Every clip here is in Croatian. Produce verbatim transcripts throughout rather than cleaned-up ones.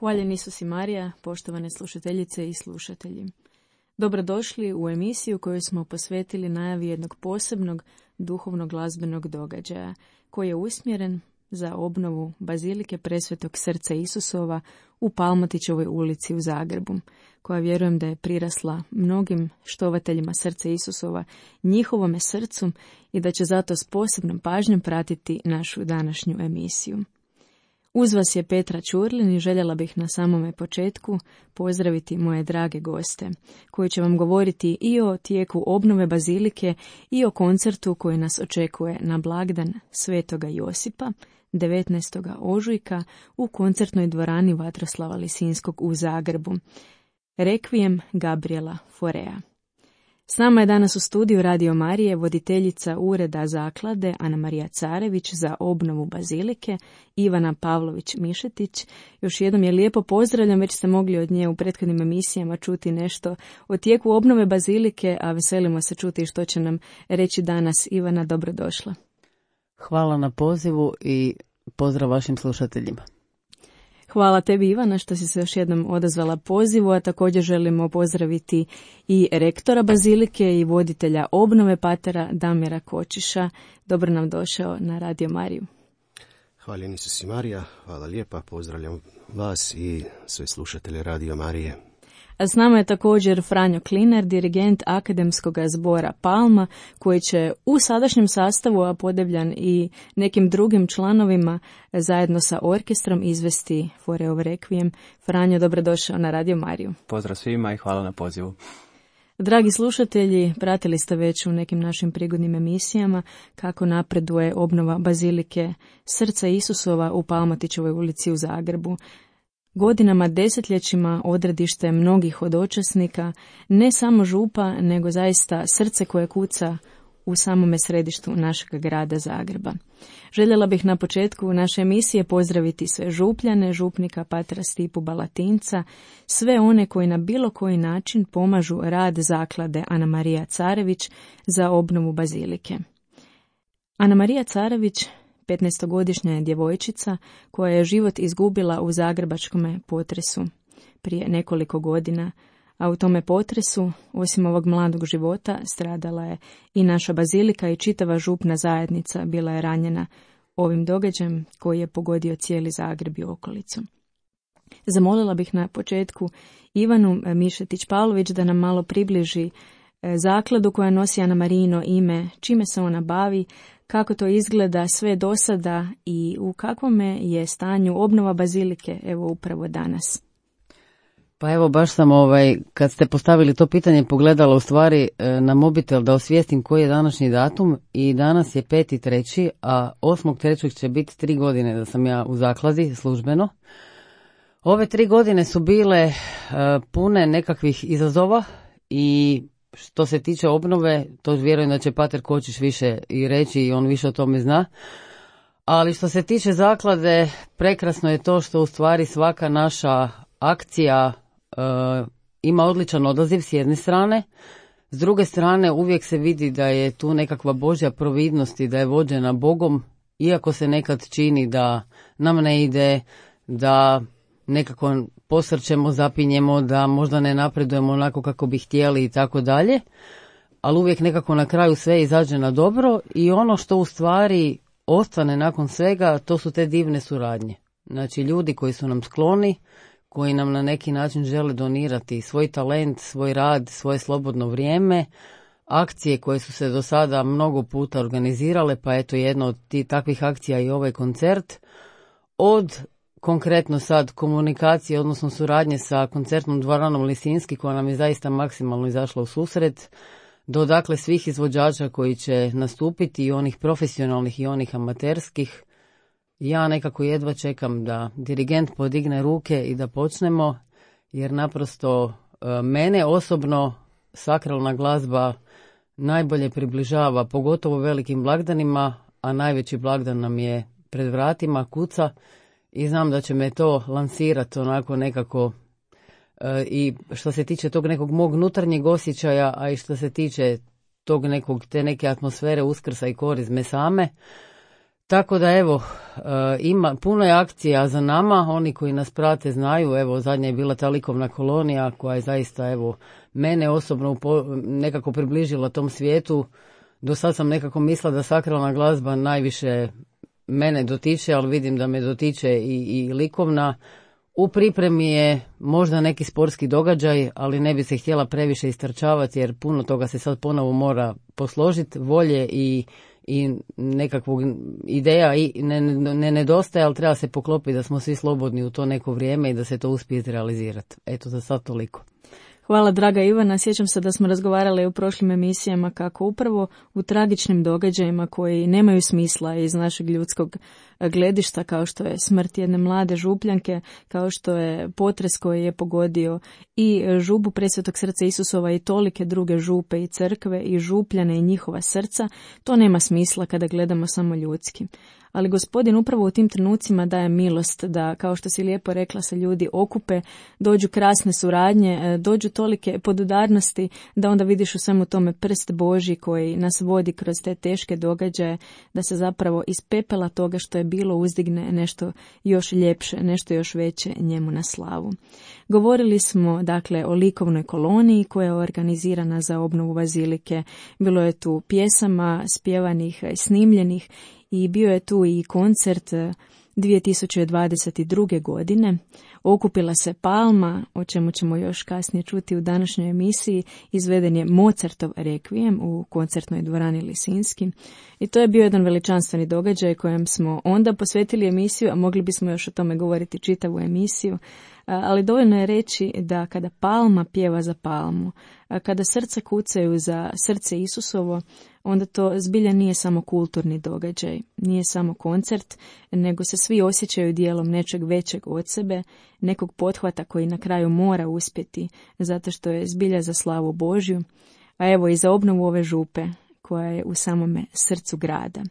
Hvaljen Isus i Marija, poštovane slušateljice i slušatelji. Dobrodošli u emisiju koju smo posvetili najavi jednog posebnog duhovnog glazbenog događaja, koji je usmjeren za obnovu Bazilike Presvetog Srca Isusova u Palmotićevoj ulici u Zagrebu, koja vjerujem da je prirasla mnogim štovateljima Srca Isusova, njihovome srcu, i da će zato s posebnom pažnjom pratiti našu današnju emisiju. Uz vas je Petra Ćurlin i željela bih na samome početku pozdraviti moje drage goste, koji će vam govoriti i o tijeku obnove Bazilike i o koncertu koji nas očekuje na blagdan Svetoga Josipa, devetnaestog ožujka, u koncertnoj dvorani Vatroslava Lisinskog u Zagrebu. Rekvijem Gabriela Forea. S nama je danas u studiju Radio Marije voditeljica ureda zaklade Ana Marija Carević za obnovu Bazilike, Ivana Pavlović-Mišetić. Još jednom je lijepo pozdravljam, već ste mogli od nje u prethodnim emisijama čuti nešto o tijeku obnove Bazilike, a veselimo se čuti što će nam reći danas. Ivana, dobrodošla. Hvala na pozivu i pozdrav vašim slušateljima. Hvala tebi, Ivana, što si se još jednom odazvala pozivu, a također želimo pozdraviti i rektora Bazilike i voditelja obnove patera Damira Kočiša. Dobro nam došao na Radio Mariju. Hvala Isus i Marija, hvala lijepa, pozdravljam vas i sve slušatelje Radio Marije. A s nama je također Franjo Klinar, dirigent Akademskog zbora Palma, koji će u sadašnjem sastavu, a podebljan i nekim drugim članovima, zajedno sa orkestrom izvesti Foreov Rekvijem. Franjo, dobrodošao na Radio Mariju. Pozdrav svima i hvala na pozivu. Dragi slušatelji, pratili ste već u nekim našim prigodnim emisijama kako napreduje obnova Bazilike Srca Isusova u Palmotićevoj ulici u Zagrebu. Godinama, desetljećima odredište mnogih od učesnika, ne samo župa, nego zaista srce koje kuca u samome središtu našeg grada Zagreba. Željela bih na početku naše emisije pozdraviti sve župljane, župnika patra Stipu Balatinca, sve one koji na bilo koji način pomažu rad zaklade Ana Marija Carević za obnovu Bazilike. Ana Marija Carević petnaestogodišnja je djevojčica koja je život izgubila u zagrebačkom potresu prije nekoliko godina, a u tome potresu, osim ovog mladog života, stradala je i naša Bazilika i čitava župna zajednica bila je ranjena ovim događajem koji je pogodio cijeli Zagreb i okolicu. Zamolila bih na početku Ivanu Mišetić-Pavlović da nam malo približi zakladu koja nosi Ana Marijino ime, čime se ona bavi, kako to izgleda sve do sada i u kakvome je stanju obnova Bazilike, evo upravo danas. Pa evo, baš sam ovaj, kad ste postavili to pitanje, pogledala u stvari na mobitel da osvijestim koji je današnji datum, i danas je peti treći, a osmog trećeg će biti tri godine da sam ja u zakladi službeno. Ove tri godine su bile uh, pune nekakvih izazova i što se tiče obnove, to vjerujem da će pater Kočiš više i reći i on više o tome zna. Ali što se tiče zaklade, prekrasno je to što u stvari svaka naša akcija e, ima odličan odaziv s jedne strane. S druge strane uvijek se vidi da je tu nekakva Božja providnost i da je vođena Bogom, iako se nekad čini da nam ne ide, da nekako posrćemo, zapinjemo, da možda ne napredujemo onako kako bi htjeli i tako dalje, ali uvijek nekako na kraju sve izađe na dobro i ono što u stvari ostane nakon svega, to su te divne suradnje. Znači ljudi koji su nam skloni, koji nam na neki način žele donirati svoj talent, svoj rad, svoje slobodno vrijeme, akcije koje su se do sada mnogo puta organizirale, pa eto jedna od tih takvih akcija i ovaj koncert, od konkretno sad komunikacije, odnosno suradnje sa koncertnom dvoranom Lisinski, koja nam je zaista maksimalno izašla u susret, do dakle svih izvođača koji će nastupiti, i onih profesionalnih i onih amaterskih. Ja nekako jedva čekam da dirigent podigne ruke i da počnemo, jer naprosto mene osobno sakralna glazba najbolje približava, pogotovo velikim blagdanima, a najveći blagdan nam je pred vratima, kuca, i znam da će me to lansirati onako nekako e, i što se tiče tog nekog mog unutarnjeg osjećaja, a i što se tiče tog nekog, te neke atmosfere Uskrsa i korizme same. Tako da evo, ima, puno je akcija za nama, oni koji nas prate znaju, evo zadnja je bila ta likovna kolonija koja je zaista evo mene osobno upo, nekako približila tom svijetu. Do sad sam nekako mislila da sakralna glazba najviše mene dotiče, ali vidim da me dotiče i, i likovna. U pripremi je možda neki sportski događaj, ali ne bi se htjela previše istrčavati jer puno toga se sad ponovo mora posložiti, volje i i nekakvog ideja i ne, ne, ne nedostaje, ali treba se poklopiti da smo svi slobodni u to neko vrijeme i da se to uspije izrealizirati. Eto, za sad toliko. Hvala, draga Ivana. Sjećam se da smo razgovarali u prošlim emisijama kako upravo u tragičnim događajima koji nemaju smisla iz našeg ljudskog gledišta, kao što je smrt jedne mlade župljanke, kao što je potres koji je pogodio i župu Presvetog srca Isusova i tolike druge župe i crkve i župljane i njihova srca, to nema smisla kada gledamo samo ljudski. Ali Gospodin upravo u tim trenucima daje milost da, kao što si lijepo rekla, se ljudi okupe, dođu krasne suradnje, dođu tolike podudarnosti da onda vidiš u svemu tome prst Božji koji nas vodi kroz te teške događaje, da se zapravo iz pepela toga što je bilo uzdigne nešto još ljepše, nešto još veće njemu na slavu. Govorili smo dakle o likovnoj koloniji koja je organizirana za obnovu bazilike. Bilo je tu pjesama, spjevanih, snimljenih i bio je tu i koncert dvije tisuće dvadeset druge. godine. Okupila se Palma, o čemu ćemo još kasnije čuti u današnjoj emisiji. Izveden je Mozartov rekvijem u koncertnoj dvorani Lisinski. I to je bio jedan veličanstveni događaj kojem smo onda posvetili emisiju, a mogli bismo još o tome govoriti čitavu emisiju. Ali dovoljno je reći da kada Palma pjeva za Palmu, kada srca kucaju za srce Isusovo, onda to zbilja nije samo kulturni događaj, nije samo koncert, nego se svi osjećaju dijelom nečeg većeg od sebe, nekog pothvata koji na kraju mora uspjeti, zato što je zbilja za slavu Božju, a evo i za obnovu ove župe koja je u samome srcu grada.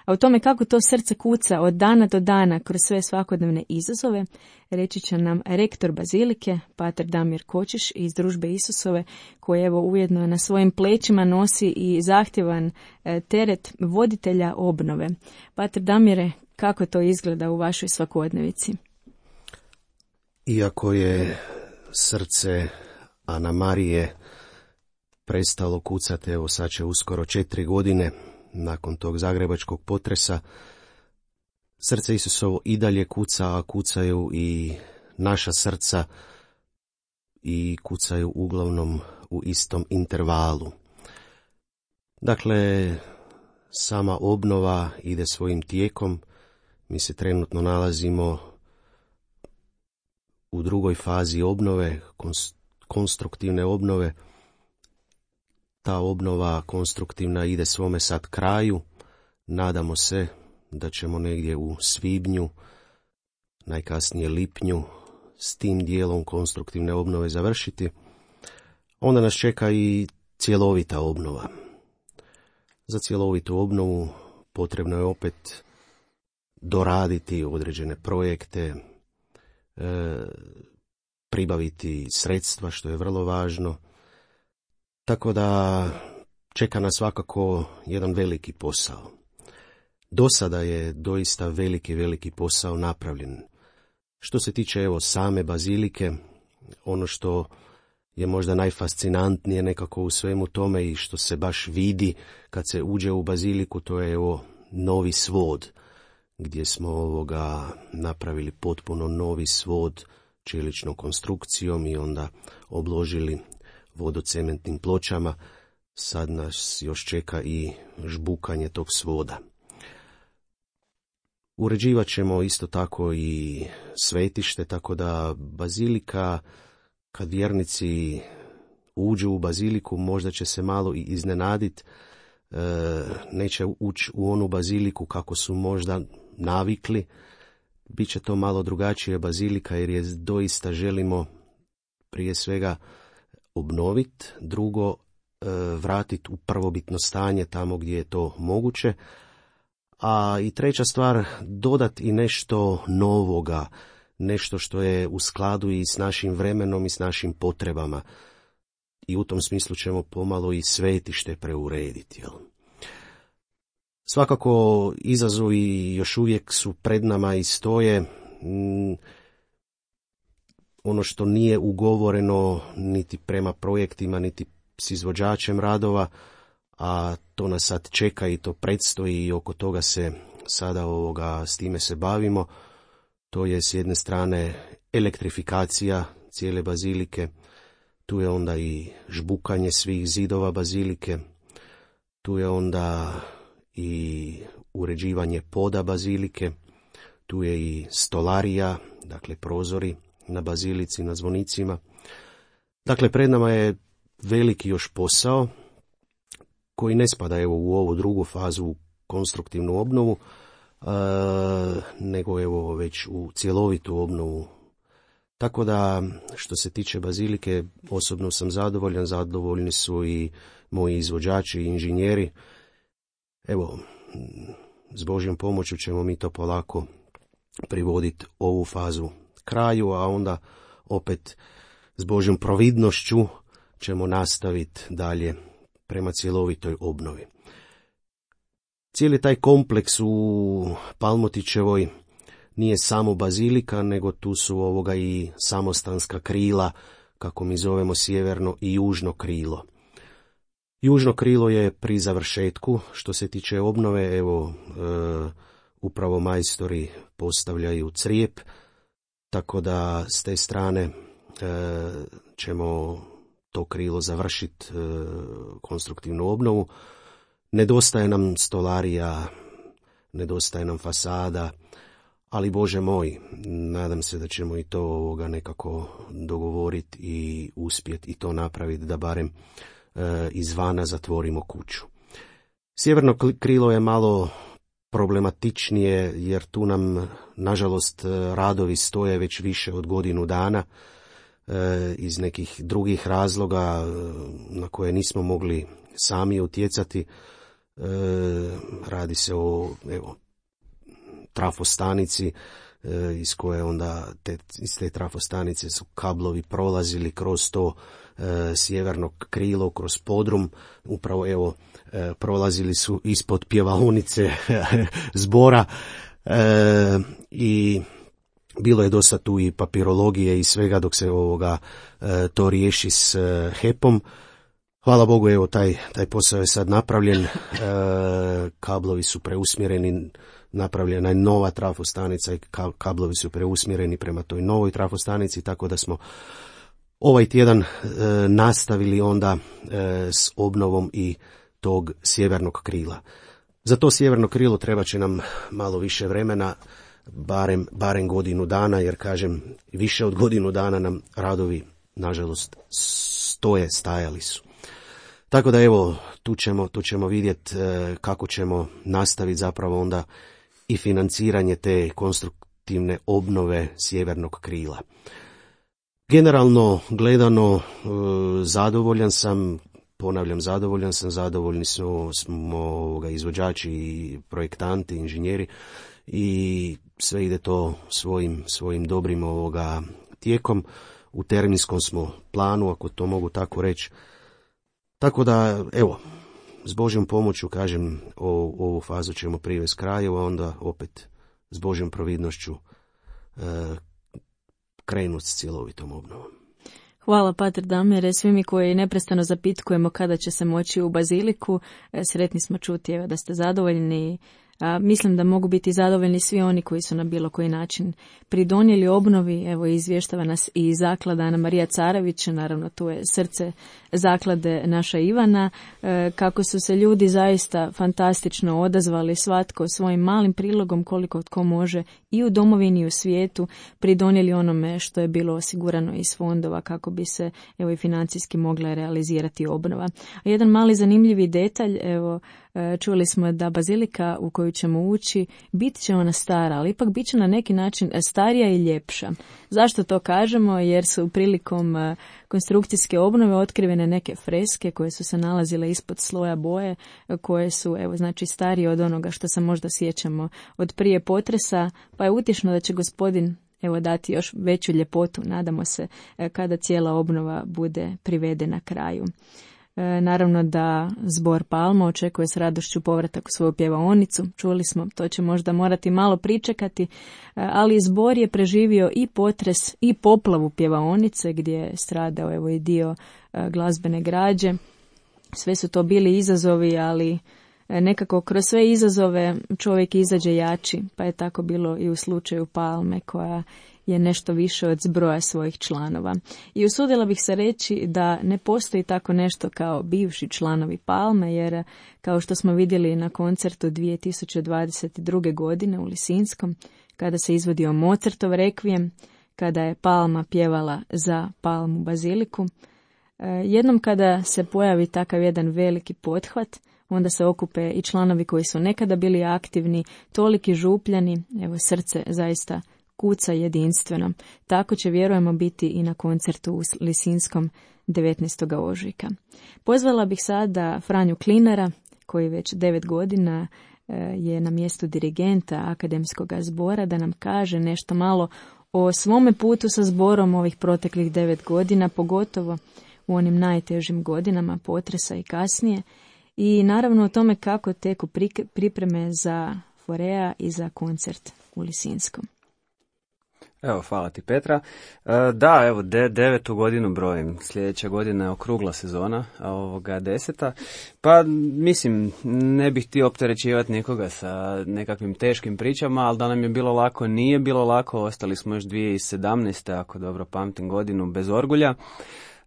A o tome kako to srce kuca od dana do dana kroz sve svakodnevne izazove, reći će nam rektor bazilike, pater Damir Kočiš iz Družbe Isusove, koji evo ujedno na svojim plećima nosi i zahtjevan teret voditelja obnove. Pater Damire, kako to izgleda u vašoj svakodnevici? Iako je srce Ana Marije prestalo kucati, evo sad će uskoro četiri godine, nakon tog zagrebačkog potresa, srce Isusovo i dalje kuca, a kucaju i naša srca i kucaju uglavnom u istom intervalu. Dakle, sama obnova ide svojim tijekom. Mi se trenutno nalazimo u drugoj fazi obnove, konstruktivne obnove. Ta obnova konstruktivna ide svome sad kraju. Nadamo se da ćemo negdje u svibnju, najkasnije lipnju, s tim dijelom konstruktivne obnove završiti. Onda nas čeka i cjelovita obnova. Za cjelovitu obnovu potrebno je opet doraditi određene projekte, e, pribaviti sredstva, što je vrlo važno. Tako da čeka nas svakako jedan veliki posao. Do sada je doista veliki, veliki posao napravljen. Što se tiče evo same bazilike, ono što je možda najfascinantnije nekako u svemu tome i što se baš vidi kad se uđe u baziliku, to je evo novi svod, gdje smo ovoga napravili potpuno novi svod čeličnom konstrukcijom i onda obložili vodocementnim pločama. Sad nas još čeka i žbukanje tog svoda. Uređivat ćemo isto tako i svetište, tako da bazilika, kad vjernici uđu u baziliku, možda će se malo i iznenaditi, e, neće ući u onu baziliku kako su možda navikli. Biće to malo drugačije bazilika jer je doista želimo prije svega obnoviti, drugo vratiti u prvobitno stanje tamo gdje je to moguće, a i treća stvar, dodati i nešto novoga, nešto što je u skladu i s našim vremenom i s našim potrebama. I u tom smislu ćemo pomalo i svetište preurediti. Jel? Svakako izazovi još uvijek su pred nama i stoje. Ono što nije ugovoreno niti prema projektima, niti s izvođačem radova, a to nas sad čeka i to predstoji i oko toga se sada ovoga, s time se bavimo. To je s jedne strane elektrifikacija cijele bazilike, tu je onda i žbukanje svih zidova bazilike, tu je onda i uređivanje poda bazilike, tu je i stolarija, dakle prozori na bazilici, na zvonicima. Dakle, pred nama je veliki još posao koji ne spada evo u ovu drugu fazu, u konstruktivnu obnovu, e, nego evo već u cjelovitu obnovu. Tako da, što se tiče bazilike, osobno sam zadovoljan, zadovoljni su i moji izvođači i inženjeri. Evo, s Božjom pomoću ćemo mi to polako privoditi ovu fazu kraju, a onda opet s Božjom providnošću ćemo nastaviti dalje prema cjelovitoj obnovi. Cijeli taj kompleks u Palmotićevoj nije samo bazilika, nego tu su ovoga i samostanska krila, kako mi zovemo sjeverno i južno krilo. Južno krilo je pri završetku, što se tiče obnove, evo, e, upravo majstori postavljaju crijep, tako da s te strane e, ćemo to krilo završiti, e, konstruktivnu obnovu. Nedostaje nam stolarija, nedostaje nam fasada, ali Bože moj, nadam se da ćemo i to ovoga nekako dogovoriti i uspjeti i to napraviti da barem e, izvana zatvorimo kuću. Sjeverno krilo je malo problematičnije jer tu nam nažalost radovi stoje već više od godinu dana e, iz nekih drugih razloga na koje nismo mogli sami utjecati. E, radi se o evo, trafostanici e, iz koje onda te, iz te trafostanice su kablovi prolazili kroz to e, sjeverno krilo, kroz podrum, upravo evo e, prolazili su ispod pjevaonice zbora e, i bilo je dosta tu i papirologije i svega dok se ovoga e, to riješi s e, hepom. Hvala Bogu, evo taj, taj posao je sad napravljen, e, kablovi su preusmjereni, napravljena je nova trafostanica i kablovi su preusmjereni prema toj novoj trafostanici, tako da smo ovaj tjedan e, nastavili onda e, s obnovom i tog sjevernog krila. Za to sjeverno krilo treba će nam malo više vremena, barem, barem godinu dana, jer kažem, više od godinu dana nam radovi, nažalost, stoje, stajali su. Tako da evo, tu ćemo, tu ćemo vidjeti e, kako ćemo nastaviti zapravo onda i financiranje te konstruktivne obnove sjevernog krila. Generalno gledano e, zadovoljan sam, ponavljam zadovoljan sam, zadovoljni smo, smo ovoga, izvođači i projektanti, inženjeri i sve ide to svojim, svojim dobrim ovoga tijekom. U terminskom smo planu, ako to mogu tako reći. Tako da, evo, s Božjom pomoću, kažem, o, ovu fazu ćemo privesti kraju, a onda opet s Božjom providnošću e, krenuti s cjelovitom obnovom. Hvala, pater Damire. Svi mi koji neprestano zapitkujemo kada će se moći u baziliku, sretni smo čuti evo, da ste zadovoljni. A, mislim da mogu biti zadovoljni svi oni koji su na bilo koji način pridonijeli obnovi. Evo, izvještava nas i zaklada Ana Marija Carević, naravno tu je srce zaklade naša Ivana, e, kako su se ljudi zaista fantastično odazvali, svatko svojim malim prilogom koliko tko može i u domovini i u svijetu pridonijeli onome što je bilo osigurano iz fondova kako bi se evo i financijski mogla realizirati obnova. A jedan mali zanimljivi detalj, evo, čuli smo da bazilika u koju ćemo ući, bit će ona stara, ali ipak bit će na neki način starija i ljepša. Zašto to kažemo? Jer su prilikom konstrukcijske obnove otkrivene neke freske koje su se nalazile ispod sloja boje, koje su evo znači starije od onoga što se možda sjećamo od prije potresa, pa je utješno da će gospodin evo dati još veću ljepotu, nadamo se, kada cijela obnova bude privedena kraju. E, naravno da zbor Palma očekuje s radošću povratak u svoju pjevaonicu. Čuli smo, to će možda morati malo pričekati, ali zbor je preživio i potres i poplavu pjevaonice gdje je stradao evo i dio glazbene građe. Sve su to bili izazovi, ali nekako kroz sve izazove čovjek izađe jači, pa je tako bilo i u slučaju Palme koja je nešto više od zbroja svojih članova. I usudila bih se reći da ne postoji tako nešto kao bivši članovi Palme, jer kao što smo vidjeli na koncertu dvije tisuće dvadeset druge. godine u Lisinskom, kada se izvodio Mozartov rekvijem, kada je Palma pjevala za Palmu baziliku, jednom kada se pojavi takav jedan veliki pothvat, onda se okupe i članovi koji su nekada bili aktivni, toliki župljani, evo srce zaista kuca jedinstveno. Tako će, vjerujemo, biti i na koncertu u Lisinskom devetnaestog ožujka. Pozvala bih sada Franju Klinara, koji već devet godina je na mjestu dirigenta Akademskog zbora, da nam kaže nešto malo o svome putu sa zborom ovih proteklih devet godina, pogotovo u onim najtežim godinama potresa i kasnije, i naravno o tome kako teku pripreme za Forea i za koncert u Lisinskom. Evo, hvala ti Petra. E, da, evo, de, devetu godinu brojim. Sljedeća godina je okrugla sezona, a ovoga deseta. Pa, mislim, ne bih htio opterećivati nikoga sa nekakvim teškim pričama, ali da nam je bilo lako, nije bilo lako. Ostali smo još dvije tisuće sedamnaeste. ako dobro pamtim godinu, bez orgulja.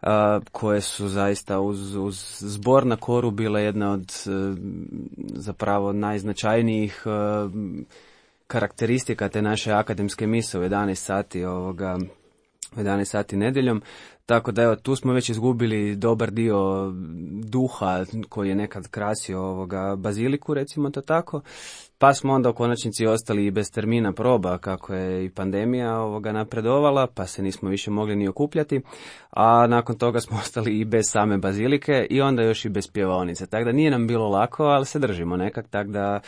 Uh, koje su zaista uz, uz zbor na koru bile jedna od uh, zapravo najznačajnijih uh, karakteristika te naše akademske mise u jedanaest sati ovoga, u jedanaest sati nedjeljom. Tako da evo, tu smo već izgubili dobar dio duha koji je nekad krasio ovoga baziliku, recimo to tako. Pa smo onda u konačnici ostali i bez termina proba, kako je i pandemija ovoga napredovala, pa se nismo više mogli ni okupljati, a nakon toga smo ostali i bez same bazilike i onda još i bez pjevaonice. Tako da nije nam bilo lako, ali se držimo nekak, tako da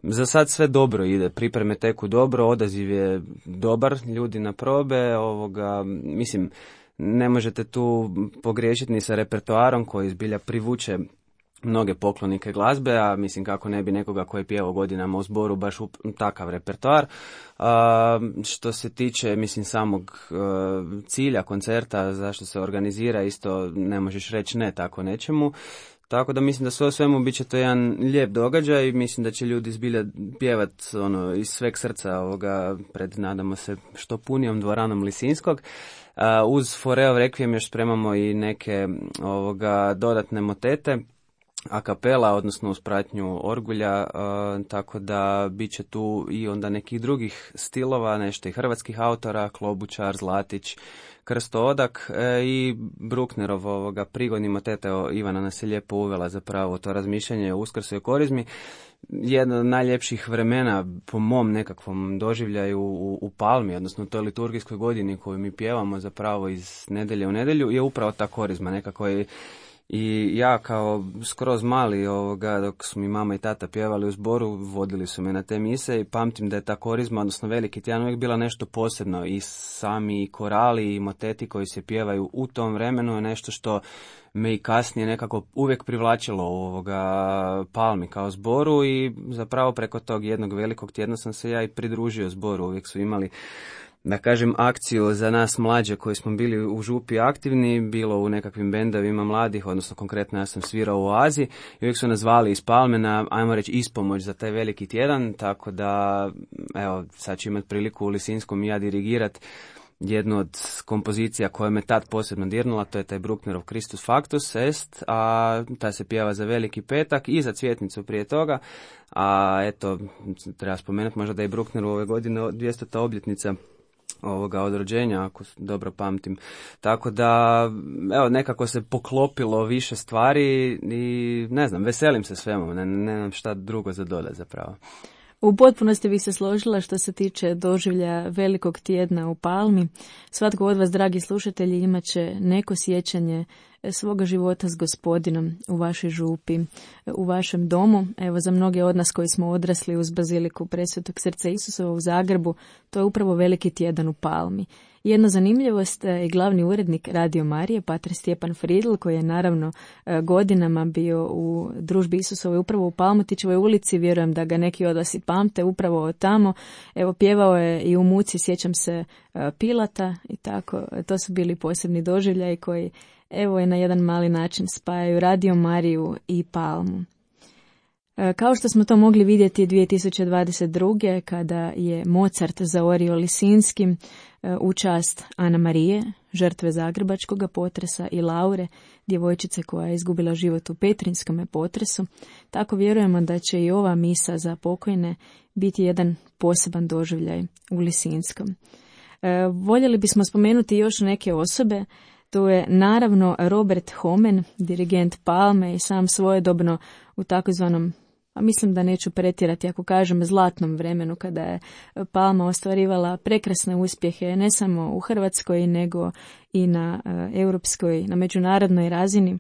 za sad sve dobro ide, pripreme teku dobro, odaziv je dobar, ljudi na probe, ovoga, mislim, ne možete tu pogriješiti ni sa repertoarom koji zbilja privuče mnoge poklonike glazbe, a mislim kako ne bi nekoga koji je pjevao godinama u zboru baš u takav repertoar. A, što se tiče, mislim, samog a, cilja koncerta, zašto se organizira, isto ne možeš reći ne tako nečemu. Tako da mislim da sve o svemu bit će to jedan lijep događaj i mislim da će ljudi zbilja pjevat ono, iz sveg srca ovoga pred, nadamo se, što punijom dvoranom Lisinskog. Uh, uz Foreov rekvijem još spremamo i neke ovoga dodatne motete, a kapela, odnosno uz pratnju orgulja, uh, tako da bit će tu i onda nekih drugih stilova, nešto i hrvatskih autora, Klobučar, Zlatić, Krsto Odak e, i Brucknerov ovoga prigodni motete. Ivana nas je lijepo uvela zapravo to razmišljanje o Uskrsu i Korizmi. Jedno od najljepših vremena po mom nekakvom doživljaju u, u Palmi, odnosno toj liturgijskoj godini koju mi pjevamo zapravo iz nedelje u nedjelju, je upravo ta Korizma nekako je. I ja kao skroz mali, ovoga, dok su mi mama i tata pjevali u zboru, vodili su me na te mise i pamtim da je ta Korizma, odnosno veliki tjedan, uvijek bila nešto posebno. I sami korali i moteti koji se pjevaju u tom vremenu je nešto što me i kasnije nekako uvijek privlačilo u ovoga Palmi kao zboru i zapravo preko tog jednog velikog tjedna sam se ja i pridružio zboru. Uvijek su imali, da kažem, akciju za nas mlađe koji smo bili u župi aktivni, bilo u nekakvim bendovima mladih, odnosno konkretno ja sam svirao u Oazi i uvijek su nas zvali iz Palme na, ajmo reći, ispomoć za taj veliki tjedan, tako da, evo, sad ću imati priliku u Lisinskom i ja dirigirat jednu od kompozicija koja me tad posebno dirnula, to je taj Brucknerov Christus Factus Est, a ta se pjeva za Veliki petak i za Cvjetnicu prije toga, a eto, treba spomenuti možda da je Bruckner u ove godine dvjestota obljetnica ovoga od rođenja, ako dobro pamtim. Tako da, evo, nekako se poklopilo više stvari i ne znam, veselim se svemu, ne, ne znam šta drugo za dodat zapravo. U potpunosti bih se složila što se tiče doživlja velikog tjedna u Palmi. Svatko od vas, dragi slušatelji, imat će neko sjećanje svoga života s Gospodinom u vašoj župi, u vašem domu. Evo, za mnoge od nas koji smo odrasli uz baziliku Presvetog srca Isusova u Zagrebu, to je upravo veliki tjedan u Palmi. Jedna zanimljivost je glavni urednik Radio Marije, pater Stjepan Fridl, koji je naravno godinama bio u družbi Isusovoj upravo u Palmotićevoj ulici, vjerujem da ga neki od vas i pamte, upravo tamo. Evo, pjevao je i u muci, sjećam se, Pilata i tako. To su bili posebni doživljaji koji, evo, je na jedan mali način spajaju Radio Mariju i Palmu. Kao što smo to mogli vidjeti dvije tisuće dvadeset druge. kada je Mozart zaorio Lisinskim u čast Ana Marije, žrtve zagrebačkog potresa, i Laure, djevojčice koja je izgubila život u Petrinjskom potresu, tako vjerujemo da će i ova misa za pokojne biti jedan poseban doživljaj u Lisinskom. Voljeli bismo spomenuti još neke osobe. To je naravno Robert Homen, dirigent Palme i sam svojedobno u takozvanom, a mislim da neću pretjerati ako kažem, zlatnom vremenu, kada je Palma ostvarivala prekrasne uspjehe ne samo u Hrvatskoj nego i na europskoj, na međunarodnoj razini,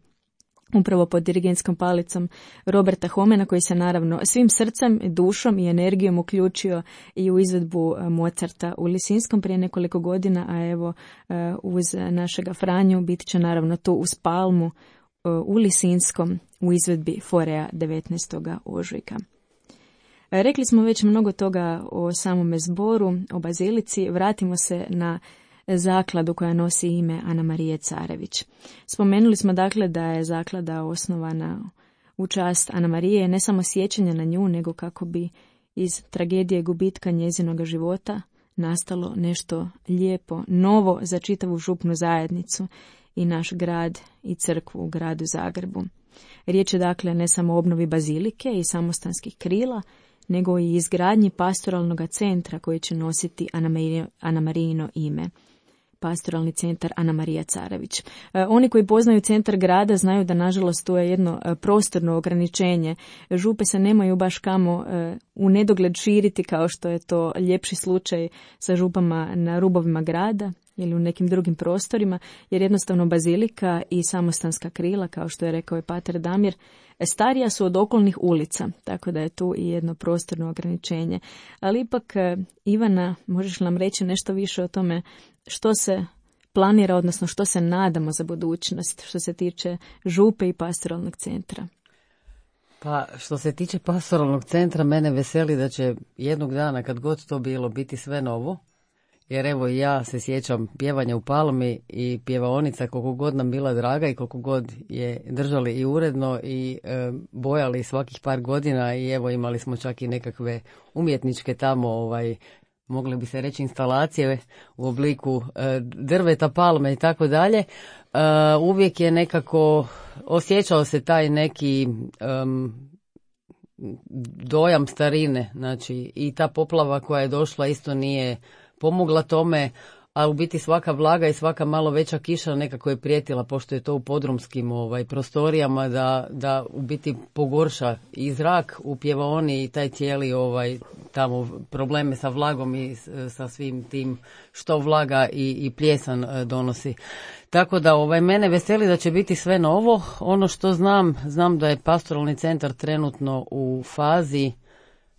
upravo pod dirigentskom palicom Roberta Homena, koji se naravno svim srcem, dušom i energijom uključio i u izvedbu Mozarta u Lisinskom prije nekoliko godina, a evo uz našega Franju bit će naravno tu uz Palmu u Lisinskom u izvedbi Forea devetnaestog ožujka. Rekli smo već mnogo toga o samome zboru, o bazilici. Vratimo se na zakladu koja nosi ime Ana Marije Carević. Spomenuli smo dakle da je zaklada osnovana u čast Ana Marije, ne samo sjećanja na nju, nego kako bi iz tragedije gubitka njezinoga života nastalo nešto lijepo, novo za čitavu župnu zajednicu i naš grad i crkvu u gradu Zagrebu. Riječ je dakle ne samo o obnovi bazilike i samostanskih krila, nego i izgradnji pastoralnog centra koji će nositi Ana Marijino ime. Pastoralni centar Ana Marija Carević. E, oni koji poznaju centar grada znaju da nažalost tu je jedno e, prostorno ograničenje. Župe se nemaju baš kamo e, u nedogled širiti kao što je to ljepši slučaj sa župama na rubovima grada ili u nekim drugim prostorima, jer jednostavno bazilika i samostanska krila, kao što je rekao i pater Damir, starija su od okolnih ulica, tako da je tu i jedno prostorno ograničenje. Ali ipak, Ivana, možeš nam reći nešto više o tome što se planira, odnosno što se nadamo za budućnost što se tiče župe i pastoralnog centra? Pa što se tiče pastoralnog centra, mene veseli da će jednog dana, kad god to bilo, biti sve novo. Jer evo ja se sjećam pjevanja u Palmi i pjevaonica koliko god nam bila draga i koliko god je držali i uredno i e, bojali svakih par godina i evo imali smo čak i nekakve umjetničke tamo, ovaj, mogli bi se reći instalacije u obliku e, drveta, palme i tako dalje. E, uvijek je nekako osjećao se taj neki um, dojam starine, znači i ta poplava koja je došla isto nije pomogla tome, a u biti svaka vlaga i svaka malo veća kiša nekako je prijetila, pošto je to u podrumskim ovaj, prostorijama, da, da u biti pogorša i zrak u pjevaoni i taj cijeli ovaj, tamo probleme sa vlagom i sa svim tim što vlaga i, i pljesan donosi. Tako da ovaj, mene veseli da će biti sve novo. Ono što znam, znam da je pastoralni centar trenutno u fazi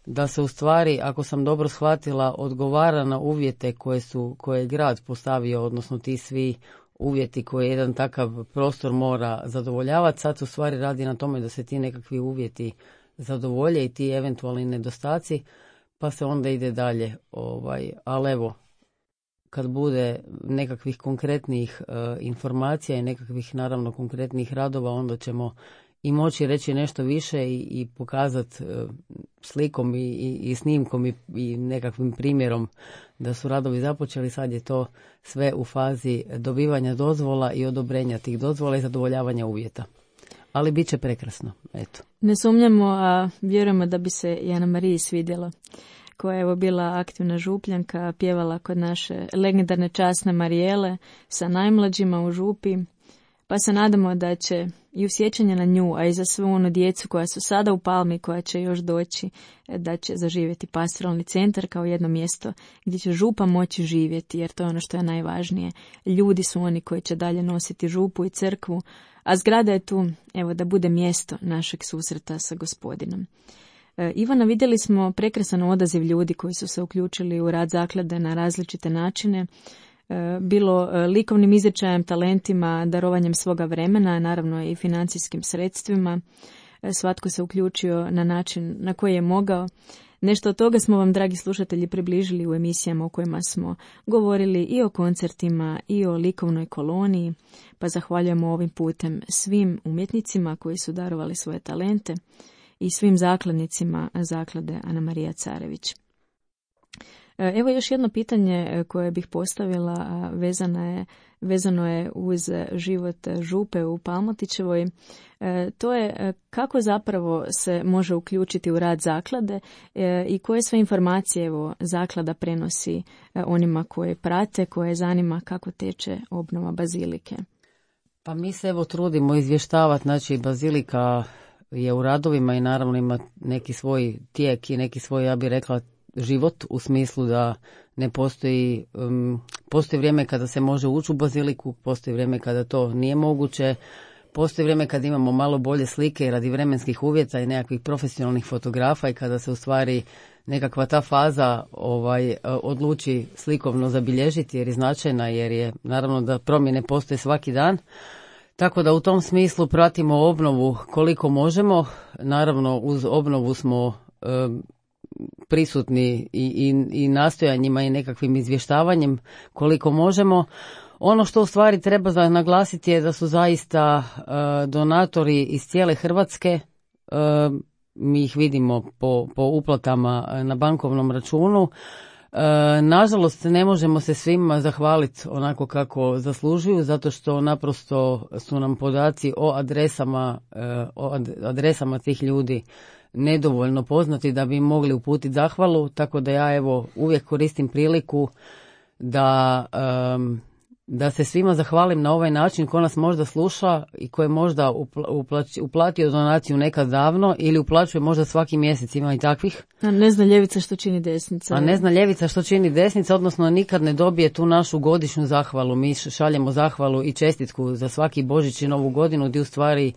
da se u stvari, ako sam dobro shvatila, odgovara na uvjete koje su, koje je grad postavio, odnosno ti svi uvjeti koje jedan takav prostor mora zadovoljavati. Sad u stvari radi na tome da se ti nekakvi uvjeti zadovolje i ti eventualni nedostaci, pa se onda ide dalje. Ovaj, ali evo, kad bude nekakvih konkretnih uh, informacija i nekakvih naravno konkretnih radova, onda ćemo i moći reći nešto više i, i pokazati uh, slikom i, i, i snimkom i, i nekakvim primjerom da su radovi započeli. Sad je to sve u fazi dobivanja dozvola i odobrenja tih dozvola i zadovoljavanja uvjeta. Ali bit će prekrasno, eto. Ne sumnjamo, a vjerujemo da bi se i Ana Mariji svidjelo, koja je evo bila aktivna župljanka, pjevala kod naše legendarne časne Marijele sa najmlađima u župi, pa se nadamo da će i u sjećanje na nju, a i za svu onu djecu koja su sada u Palmi, koja će još doći, da će zaživjeti pastoralni centar kao jedno mjesto gdje će župa moći živjeti, jer to je ono što je najvažnije. Ljudi su oni koji će dalje nositi župu i crkvu, a zgrada je tu, evo, da bude mjesto našeg susreta sa Gospodinom. E, Ivana, vidjeli smo prekrasan odaziv ljudi koji su se uključili u rad zaklade na različite načine. bilo likovnim izričajem, talentima, darovanjem svoga vremena, naravno i financijskim sredstvima. Svatko se uključio na način na koji je mogao. Nešto od toga smo vam, dragi slušatelji, približili u emisijama u kojima smo govorili i o koncertima i o likovnoj koloniji, pa zahvaljujemo ovim putem svim umjetnicima koji su darovali svoje talente i svim zakladnicima zaklade Ana Marija Carević. Evo još jedno pitanje koje bih postavila, vezano je, vezano je uz život župe u Palmotićevoj. To je kako zapravo se može uključiti u rad zaklade i koje sve informacije evo, zaklada prenosi onima koje prate, koje zanima kako teče obnova bazilike. Pa mi se evo trudimo izvještavati, znači bazilika je u radovima i naravno ima neki svoj tijek i neki svoj, ja bih rekla, život u smislu da ne postoji, um, postoji vrijeme kada se može ući u baziliku, postoji vrijeme kada to nije moguće, postoji vrijeme kada imamo malo bolje slike radi vremenskih uvjeta i nekakvih profesionalnih fotografa i kada se u stvari nekakva ta faza ovaj, odluči slikovno zabilježiti jer je značajna, jer je naravno da promjene postoje svaki dan. Tako da u tom smislu pratimo obnovu koliko možemo, naravno uz obnovu smo um, prisutni i, i, i nastojanjima i nekakvim izvještavanjem koliko možemo. Ono što u stvari treba naglasiti je da su zaista uh, donatori iz cijele Hrvatske, uh, mi ih vidimo po, po uplatama na bankovnom računu. Uh, nažalost ne možemo se svima zahvaliti onako kako zaslužuju, zato što naprosto su nam podaci o adresama, uh, o adresama tih ljudi nedovoljno poznati da bi mogli uputiti zahvalu, tako da ja evo uvijek koristim priliku da, um, da se svima zahvalim na ovaj način ko nas možda sluša i ko je možda uplać, uplatio donaciju nekad davno ili uplaćuje možda svaki mjesec, ima i takvih. A ne zna ljevica što čini desnica. A ne zna ljevica što čini desnica, odnosno nikad ne dobije tu našu godišnju zahvalu. Mi šaljemo zahvalu i čestitku za svaki Božić i Novu godinu gdje u stvari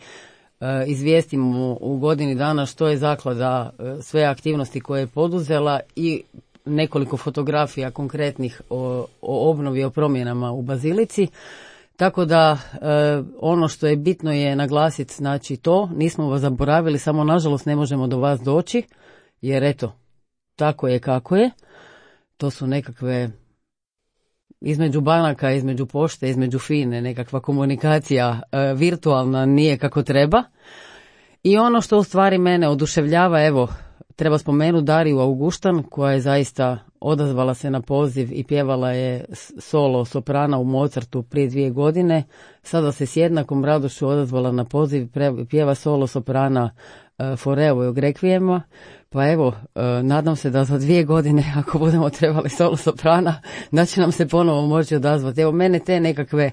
izvijestimo u godini dana što je zaklada, sve aktivnosti koje je poduzela i nekoliko fotografija konkretnih o, o obnovi, o promjenama u bazilici. Tako da ono što je bitno je naglasiti, znači to, nismo vas zaboravili, samo nažalost ne možemo do vas doći, jer eto, tako je kako je. To su nekakve između banaka, između pošte, između FINE, nekakva komunikacija e, virtualna nije kako treba. I ono što u stvari mene oduševljava, evo, treba spomenuti Dariju Auguštan, koja je zaista odazvala se na poziv i pjevala je solo soprana u Mozartu prije dvije godine. Sada se s jednakom radošću odazvala na poziv, pjeva solo soprana e, Foreovog rekvijema. Pa evo, e, nadam se da za dvije godine, ako budemo trebali solo soprana, da će nam se ponovo moći odazvati. Evo, mene te nekakve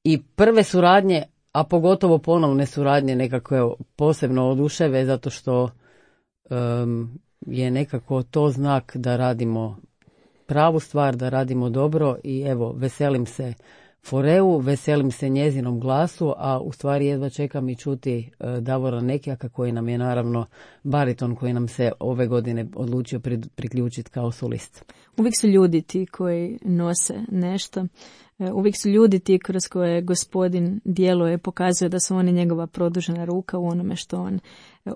i prve suradnje, a pogotovo ponovne suradnje nekakve posebno oduševe, zato što um, je nekako to znak da radimo pravu stvar, da radimo dobro i evo, veselim se Foreu, veselim se njezinom glasu, a u stvari jedva čekam i čuti uh, Davora Nekijaka koji nam je naravno bariton koji nam se ove godine odlučio priključiti kao solist. Uvijek su ljudi ti koji nose nešto, uvijek su ljudi ti kroz koje gospodin djeluje, pokazuje da su oni njegova produžena ruka u onome što on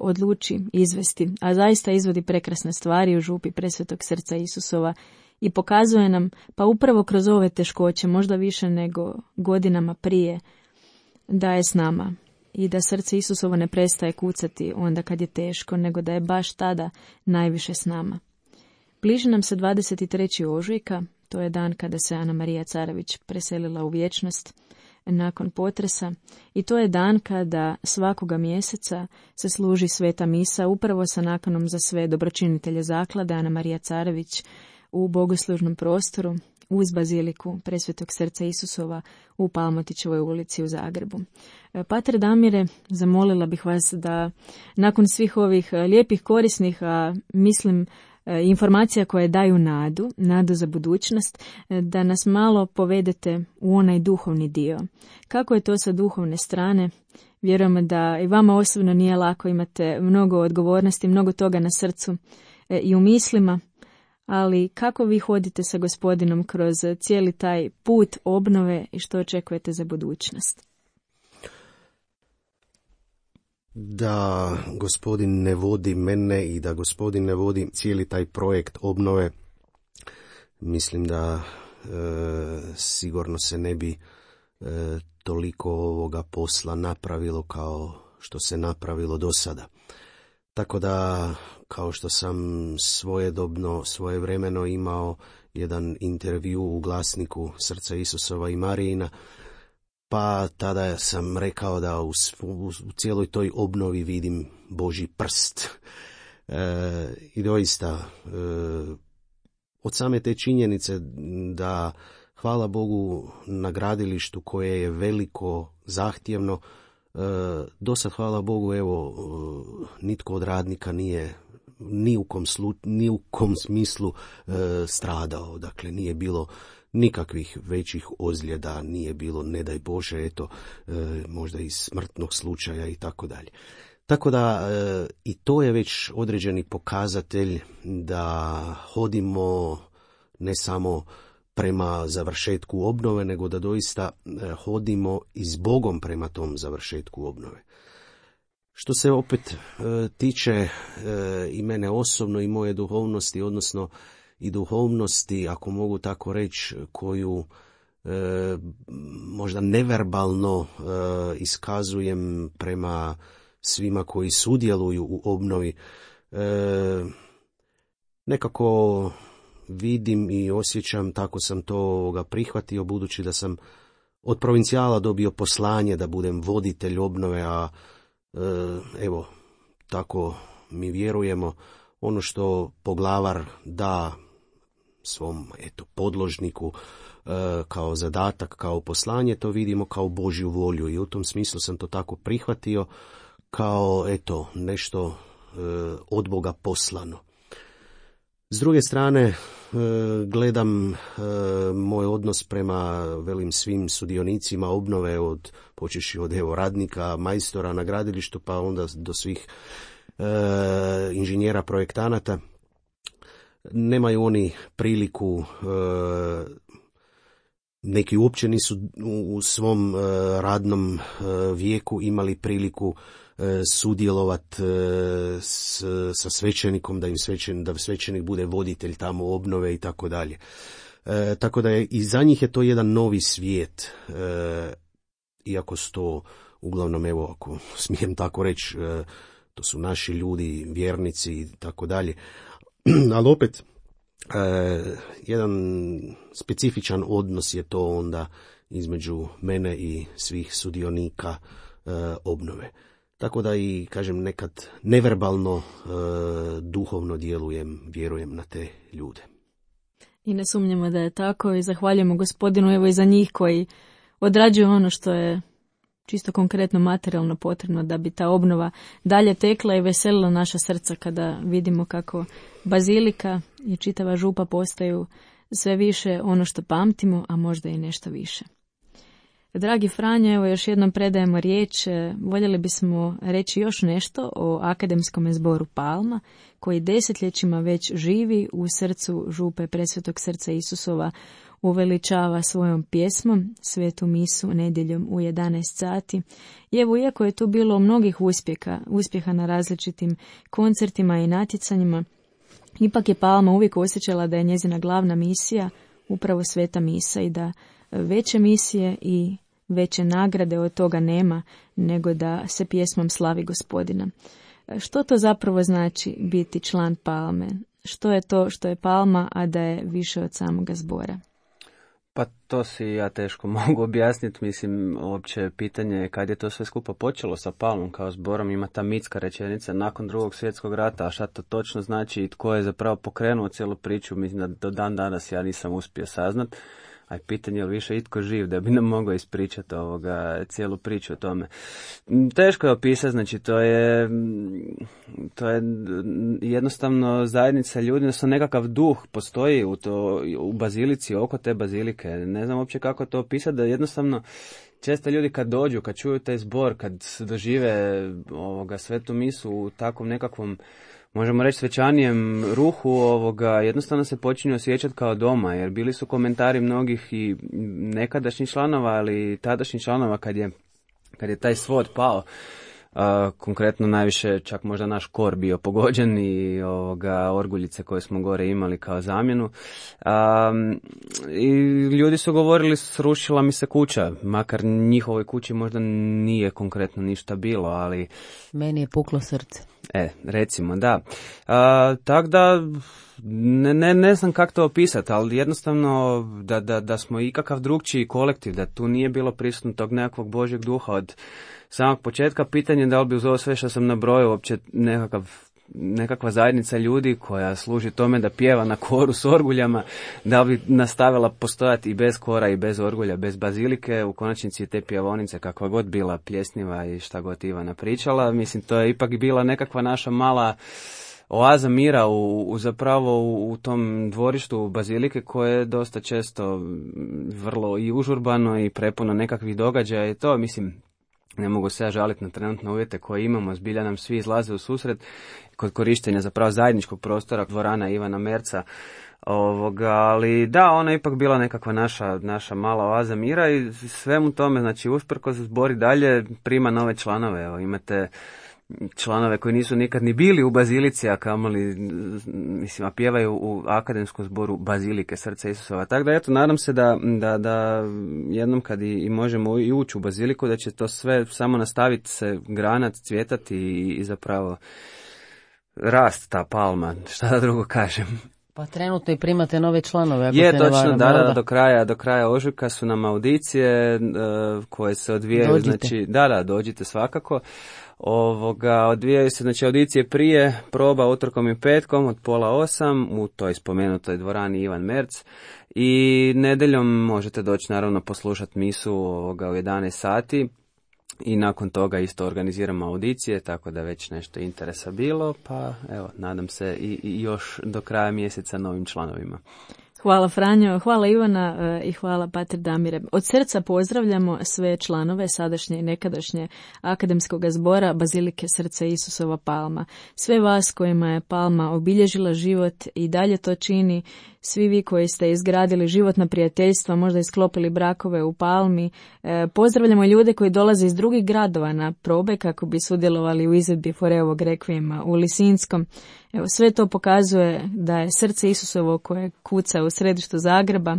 odluči izvesti, a zaista izvodi prekrasne stvari u župi Presvetog srca Isusova. I pokazuje nam, pa upravo kroz ove teškoće, možda više nego godinama prije, da je s nama i da srce Isusovo ne prestaje kucati onda kad je teško, nego da je baš tada najviše s nama. Bliži nam se dvadeset trećeg ožujka, to je dan kada se Ana Marija Carević preselila u vječnost nakon potresa i to je dan kada svakoga mjeseca se služi sveta misa upravo sa nakanom za sve dobročinitelje zaklade Ana Marija Carević u bogoslužnom prostoru uz baziliku Presvetog srca Isusova u Palmotićevoj ulici u Zagrebu. Pater Damire, zamolila bih vas da nakon svih ovih lijepih, korisnih, a mislim informacija koje daju nadu, nadu za budućnost, da nas malo povedete u onaj duhovni dio. Kako je to sa duhovne strane? Vjerujem da i vama osobno nije lako, imate mnogo odgovornosti, mnogo toga na srcu i u mislima, ali kako vi hodite sa Gospodinom kroz cijeli taj put obnove i što očekujete za budućnost? Da Gospodin ne vodi mene i da Gospodin ne vodi cijeli taj projekt obnove, mislim da e, sigurno se ne bi e, toliko ovoga posla napravilo kao što se napravilo do sada. Tako da, kao što sam svojedobno, svojevremeno imao jedan intervju u glasniku Srca Isusova i Marijina, pa tada sam rekao da u, u, u cijeloj toj obnovi vidim Božji prst. E, I doista, e, od same te činjenice da, hvala Bogu, na gradilištu koje je veliko, zahtjevno, e, dosad, hvala Bogu, evo, nitko od radnika nije ni u kom, slu, ni u kom smislu e, stradao. Dakle, nije bilo nikakvih većih ozljeda, nije bilo, ne daj Bože, eto, e, možda i smrtnog slučaja i tako dalje. Tako da e, i to je već određeni pokazatelj da hodimo ne samo prema završetku obnove, nego da doista e, hodimo i s Bogom prema tom završetku obnove. Što se opet e, tiče e, i mene osobno i moje duhovnosti, odnosno i duhovnosti, ako mogu tako reći, koju e, možda neverbalno e, iskazujem prema svima koji sudjeluju u obnovi, e, nekako vidim i osjećam, tako sam to ga prihvatio, budući da sam od provincijala dobio poslanje da budem voditelj obnove, a e, evo, tako mi vjerujemo, ono što poglavar da svom eto podložniku e, kao zadatak, kao poslanje, to vidimo kao Božju volju i u tom smislu sam to tako prihvatio kao eto nešto e, od Boga poslano. S druge strane, e, gledam e, moj odnos prema velim svim sudionicima obnove, od počeši od evo radnika, majstora na gradilištu, pa onda do svih e, inženjera, projektanata. Nemaju oni priliku, e, neki uopće nisu u, u svom e, radnom e, vijeku imali priliku e, sudjelovati e, s, sa svećenikom, da im svećen, da svećenik bude voditelj tamo obnove i tako dalje. E, tako da je, i za njih je to jedan novi svijet, e, iako su to uglavnom, evo, ako smijem tako reći, e, to su naši ljudi, vjernici i tako dalje. Ali opet, e, jedan specifičan odnos je to onda između mene i svih sudionika e, obnove. Tako da i, kažem, nekad neverbalno, e, duhovno djelujem, vjerujem na te ljude. I ne sumnjamo da je tako i zahvaljujemo Gospodinu evo i za njih koji odrađuju ono što je čisto konkretno materijalno potrebno da bi ta obnova dalje tekla i veselila naša srca kada vidimo kako bazilika i čitava župa postaju sve više ono što pamtimo, a možda i nešto više. Dragi Franjo, evo još jednom predajemo riječ. Voljeli bismo reći još nešto o akademskom zboru Palma, koji desetljećima već živi u srcu župe Presvetog srca Isusova, uveličava svojom pjesmom svetu misu nedjeljom u jedanaest sati. I evo, iako je tu bilo mnogih uspjeha, uspjeha na različitim koncertima i natjecanjima, ipak je Palma uvijek osjećala da je njezina glavna misija upravo sveta misa i da veće misije i veće nagrade od toga nema nego da se pjesmom slavi Gospodina. Što to zapravo znači biti član Palme? Što je to što je Palma, a da je više od samoga zbora? Pa to si ja teško mogu objasniti, mislim, uopće pitanje je kad je to sve skupa počelo sa Palmom kao zborom, ima ta mitska rečenica nakon drugog svjetskog rata, a šta to točno znači i tko je zapravo pokrenuo cijelu priču, mislim da do dan danas ja nisam uspio saznat, a pitanje je li više itko živ da bi nam mogao ispričati ovoga, cijelu priču o tome. Teško je opisati, znači to je, to je jednostavno zajednica ljudi, odnosno nekakav duh postoji u, to, u bazilici, oko te bazilike. Ne znam uopće kako to opisati, da jednostavno često ljudi kad dođu, kad čuju taj zbor, kad dožive ovoga svetu misu u takvom nekakvom možemo reći, svečanijem ruhu ovoga, jednostavno se počinju osjećati kao doma, jer bili su komentari mnogih i nekadašnjih članova, ali i tadašnjih članova kad je, kad je taj svod pao. Uh, konkretno najviše čak možda naš kor bio pogođen i ovoga, orguljice koje smo gore imali kao zamjenu. Um, I ljudi su govorili, srušila mi se kuća, makar njihovoj kući možda nije konkretno ništa bilo, ali... Meni je puklo srce. E, recimo, da. Uh, tako da... Ne, ne, ne znam kako to opisati, ali jednostavno da, da, da smo ikakav drugčiji kolektiv, da tu nije bilo prisutno tog nekakvog Božjeg duha od samog početka. Pitanje da li bi uz ovo sve što sam nabrojio uopće nekakav, nekakva zajednica ljudi koja služi tome da pjeva na koru s orguljama, da bi nastavila postojati i bez kora i bez orgulja, bez bazilike, u konačnici te pjevonice kakva god bila pljesniva i šta god Ivana pričala. Mislim, to je ipak bila nekakva naša mala oaza mira u, u zapravo u, u tom dvorištu bazilike koje je dosta često vrlo i užurbano i prepuno nekakvih događaja i to, mislim, ne mogu se ja žaliti na trenutne uvjete koje imamo, zbilja nam svi izlaze u susret kod korištenja zapravo zajedničkog prostora dvorana Ivana Merca. Ovoga, ali da, ona je ipak bila nekakva naša, naša mala oaza mira i svemu tome, znači usprkos zbori dalje prima nove članove. Evo, imate članove koji nisu nikad ni bili u bazilici, a kamoli, mislim, a pjevaju u akademskom zboru Bazilike Srca Isusova. Tako da, eto, nadam se da, da, da jednom kad i, i možemo i ući u baziliku, da će to sve samo nastaviti se granat, cvjetati i, i zapravo rast ta palma, šta da drugo kažem. Pa trenutno i primate nove članove. Ako je, se točno, varam, da, da, do kraja, do kraja ožujka su nam audicije uh, koje se odvijaju, dođite. Znači, da, da, dođite svakako. Ovoga, odvijaju se, znači, audicije prije, proba utorkom i petkom od pola osam u toj spomenutoj dvorani Ivan Merc i nedeljom možete doći naravno poslušati misu ovoga u jedanaest sati. I nakon toga isto organiziramo audicije, tako da već nešto interesa bilo, pa evo, nadam se i, i još do kraja mjeseca novim članovima. Hvala Franjo, hvala Ivana i hvala Pater Damire. Od srca pozdravljamo sve članove sadašnje i nekadašnje akademskog zbora Bazilike Srca Isusova Palma. Sve vas kojima je Palma obilježila život i dalje to čini, svi vi koji ste izgradili životna prijateljstva, možda isklopili brakove u Palmi. E, pozdravljamo ljude koji dolaze iz drugih gradova na probe kako bi sudjelovali u izvedbi Foreovog rekvijema u Lisinskom. Evo, sve to pokazuje da je srce Isusovo koje kuca u središtu Zagreba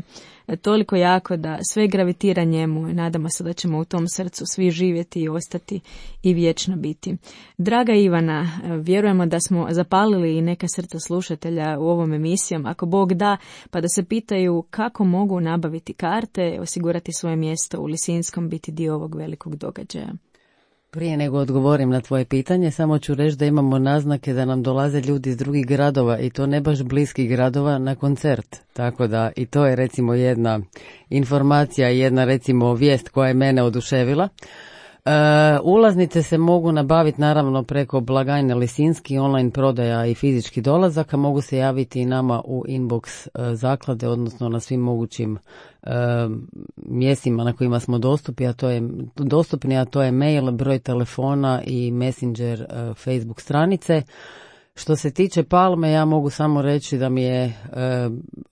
toliko jako da sve gravitira njemu i nadamo se da ćemo u tom srcu svi živjeti i ostati i vječno biti. Draga Ivana, vjerujemo da smo zapalili i neka srca slušatelja u ovom emisijom, ako Bog da, pa da se pitaju kako mogu nabaviti karte, osigurati svoje mjesto u Lisinskom, biti dio ovog velikog događaja. Prije nego odgovorim na tvoje pitanje, samo ću reći da imamo naznake da nam dolaze ljudi iz drugih gradova i to ne baš bliskih gradova na koncert. Tako da i to je recimo jedna informacija i jedna recimo vijest koja je mene oduševila. E, ulaznice se mogu nabaviti naravno preko blagajne Lisinski, online prodaja i fizički dolazaka. Mogu se javiti i nama u inbox e, zaklade, odnosno na svim mogućim e, mjestima na kojima smo dostupni, a to je dostupni, a to je mail, broj telefona i messenger e, Facebook stranice. Što se tiče Palme, ja mogu samo reći da mi je e,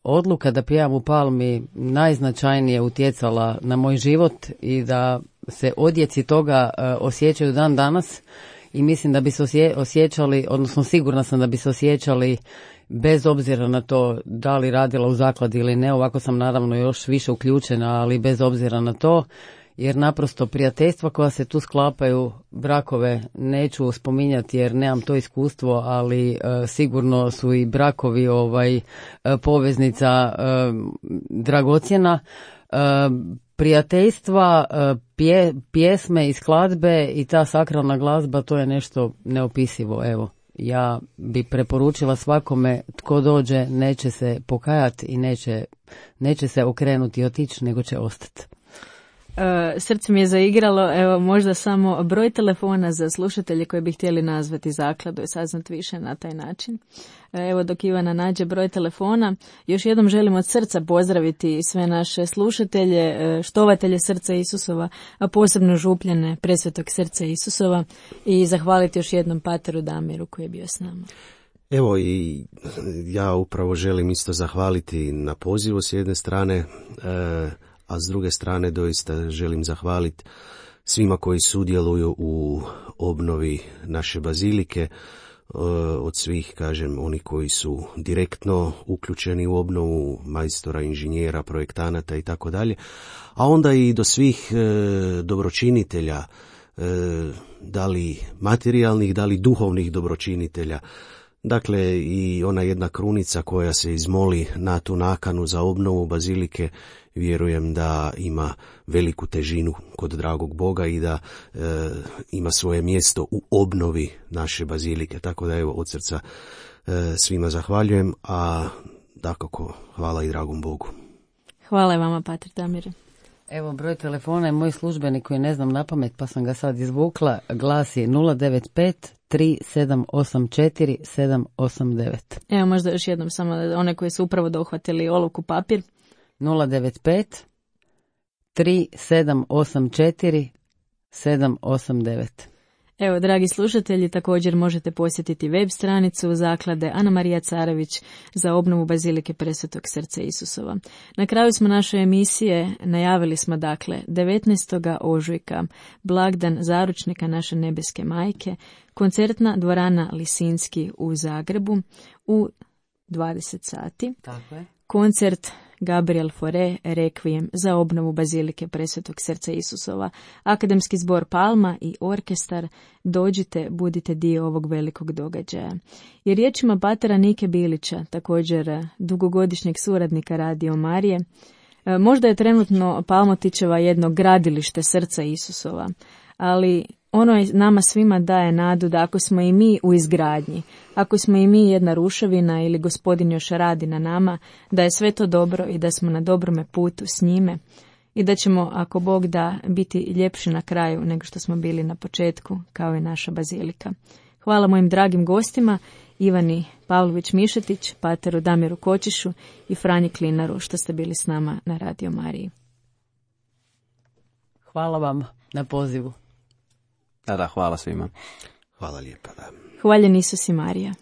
odluka da pjevam u Palmi najznačajnije utjecala na moj život i da se odjeci toga e, osjećaju dan danas i mislim da bi se osje, osjećali, odnosno sigurna sam da bi se osjećali bez obzira na to da li radila u zakladi ili ne. Ovako sam naravno još više uključena, ali bez obzira na to, jer naprosto prijateljstva koja se tu sklapaju, brakove neću spominjati jer nemam to iskustvo, ali e, sigurno su i brakovi ovaj e, poveznica e, dragocjena. E, prijateljstva, e, pje, pjesme i skladbe i ta sakralna glazba, to je nešto neopisivo. Evo, ja bi preporučila svakome tko dođe, neće se pokajati i neće, neće se okrenuti i otići, nego će ostati. Uh, srce mi je zaigralo, evo možda samo broj telefona za slušatelje koji bi htjeli nazvati zakladu i saznati više na taj način. Uh, evo dok Ivana nađe broj telefona, još jednom želim od srca pozdraviti sve naše slušatelje, uh, štovatelje Srca Isusova, a posebno župljane Presvetog Srca Isusova i zahvaliti još jednom Pateru Damiru koji je bio s nama. Evo i ja upravo želim isto zahvaliti na pozivu s jedne strane, e, a s druge strane doista želim zahvaliti svima koji sudjeluju u obnovi naše bazilike, od svih, kažem, oni koji su direktno uključeni u obnovu, majstora, inženjera, projektanata i tako dalje, a onda i do svih e, dobročinitelja, e, da li materijalnih, da li duhovnih dobročinitelja. Dakle, i ona jedna krunica koja se izmoli na tu nakanu za obnovu bazilike, vjerujem da ima veliku težinu kod dragog Boga i da e, ima svoje mjesto u obnovi naše bazilike. Tako da evo, od srca e, svima zahvaljujem, a dakako hvala i dragom Bogu. Hvala vama, pater Damire. Evo, broj telefona je moj službeni koji ne znam na pamet, pa sam ga sad izvukla. Glasi nula devet pet tri sedam osam četiri sedam osam devet. Evo, možda još jednom samo one koji su upravo dohvatili olovku papir. nula devet pet tri sedam osam četiri sedam osam devet. Evo, dragi slušatelji, također možete posjetiti web stranicu zaklade Ana Marija Carević za obnovu bazilike Presvetog srca Isusova. Na kraju smo naše emisije najavili smo, dakle, devetnaestog ožujka, blagdan zaručnika naše nebeske majke, koncertna dvorana Lisinski u Zagrebu u dvadeset sati. Tako je. Koncert Gabriel Fauré Requiem za obnovu bazilike Presvetog srca Isusova, Akademski zbor Palma i orkestar. Dođite, budite dio ovog velikog događaja. I riječima patera Nike Bilića, također dugogodišnjeg suradnika Radio Marije, možda je trenutno Palmotićeva jedno gradilište srca Isusova, ali ono je nama svima daje nadu da ako smo i mi u izgradnji, ako smo i mi jedna ruševina ili Gospodin još radi na nama, da je sve to dobro i da smo na dobrome putu s njime i da ćemo, ako Bog da, biti ljepši na kraju nego što smo bili na početku, kao i naša bazilika. Hvala mojim dragim gostima, Ivani Pavlović-Mišetić, pateru Damiru Kočišu i Franji Klinaru, što ste bili s nama na Radio Mariji. Hvala vam na pozivu. Da, da, hvala svima. Hvala lijepa, da. Hvaljen Isus i Marija.